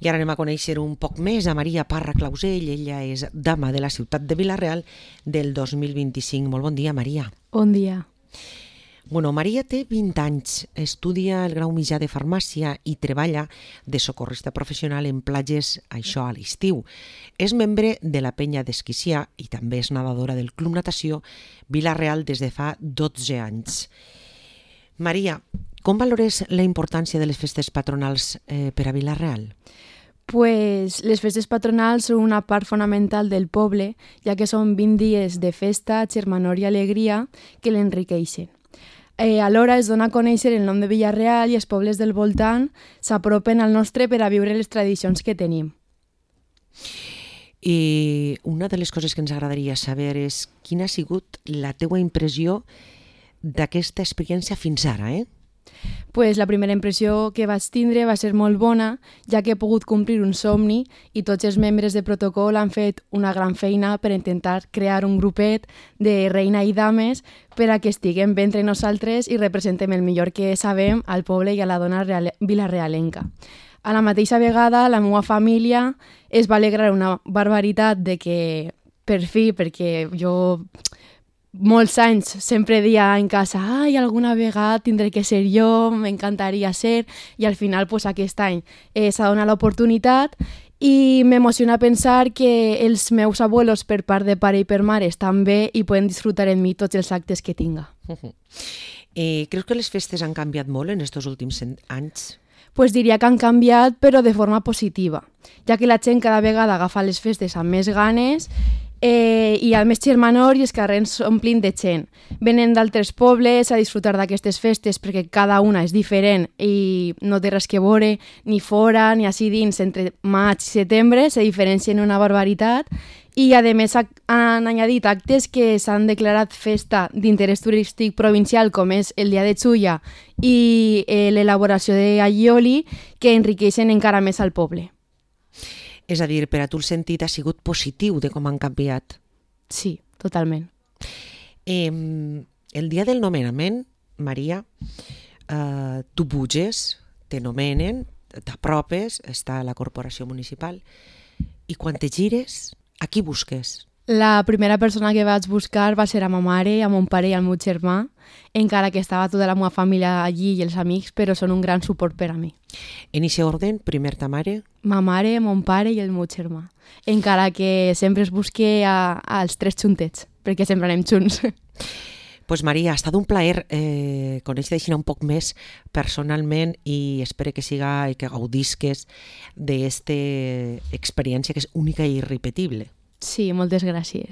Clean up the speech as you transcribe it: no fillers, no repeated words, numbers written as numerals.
I ara anem a conèixer un poc més a Maria Parra Clausell. Ella és dama de la ciutat de Vila-real del 2025. Molt bon dia, Maria. Bon dia. Bueno, Maria té 20 anys, estudia el grau mitjà de farmàcia i treballa de socorrista professional en platges, això a l'estiu. És membre de la penya d'Esquicià i també és nedadora del Club Natació Vila-real des de fa 12 anys. Maria, com valores la importància de les festes patronals per a Vila-real? Pues les festes patronals són una part fonamental del poble, ja que són 20 dies de festa, germanor i alegria que l'enriqueixen. Alhora es dona a conèixer el nom de Vila-real i els pobles del voltant s'apropen al nostre per a viure les tradicions que tenim. I una de les coses que ens agradaria saber és quina ha sigut la teua impressió d'aquesta experiència fins ara, Pues la primera impressió que vaig tindre va ser molt bona, ja que he pogut complir un somni i tots els membres de protocol han fet una gran feina per intentar crear un grupet de reina i dames per a que estiguem bé entre nosaltres i representem el millor que sabem al poble i a la dona vilarealenca. A la mateixa vegada, la meva família es va alegrar una barbaritat de que, per fi, perquè jo molts anys sempre dia en casa ai, alguna vegada tindré que ser jo, m'encantaria ser, i al final pues, aquest any s'ha donat l'oportunitat i m'emociona pensar que els meus abuelos per part de pare i per mare estan bé i poden disfrutar en mi tots els actes que tinga. Creus que les festes han canviat molt en aquests últims anys? Pues diria que han canviat, però de forma positiva, ja que la gent cada vegada agafa les festes amb més ganes i al més germanor i els carrers s'omplin de gent. Venen d'altres pobles a disfrutar d'aquestes festes perquè cada una és diferent i no té res que veure ni fora ni així dins. Entre maig i setembre se diferencien una barbaritat i a més han añadit actes que s'han declarat festa d'interès turístic provincial com és el Dia de Xulla i l'elaboració de allioli que enriqueixen encara més al poble. És a dir, per a tu el sentit ha sigut positiu de com han canviat? Sí, totalment. El dia del nomenament, Maria, tu puges, te nomenen, t'apropes, està a la corporació municipal, i quan te gires, a qui busques? La primera persona que vaig buscar va ser a ma mare, a mon pare i al meu germà, encara que estava tota la meva família allí i els amics, però són un gran suport per a mi. En aquest ordre, primer ta mare? Ma mare, mon pare i el meu germà. Encara que sempre es busque als tres juntets, perquè sempre anem junts. Pues Maria, ha estat un plaer conèixer-te un poc més personalment i espero que siga i que gaudisques d'esta experiència que és única i irrepetible. Sí, moltes gràcies.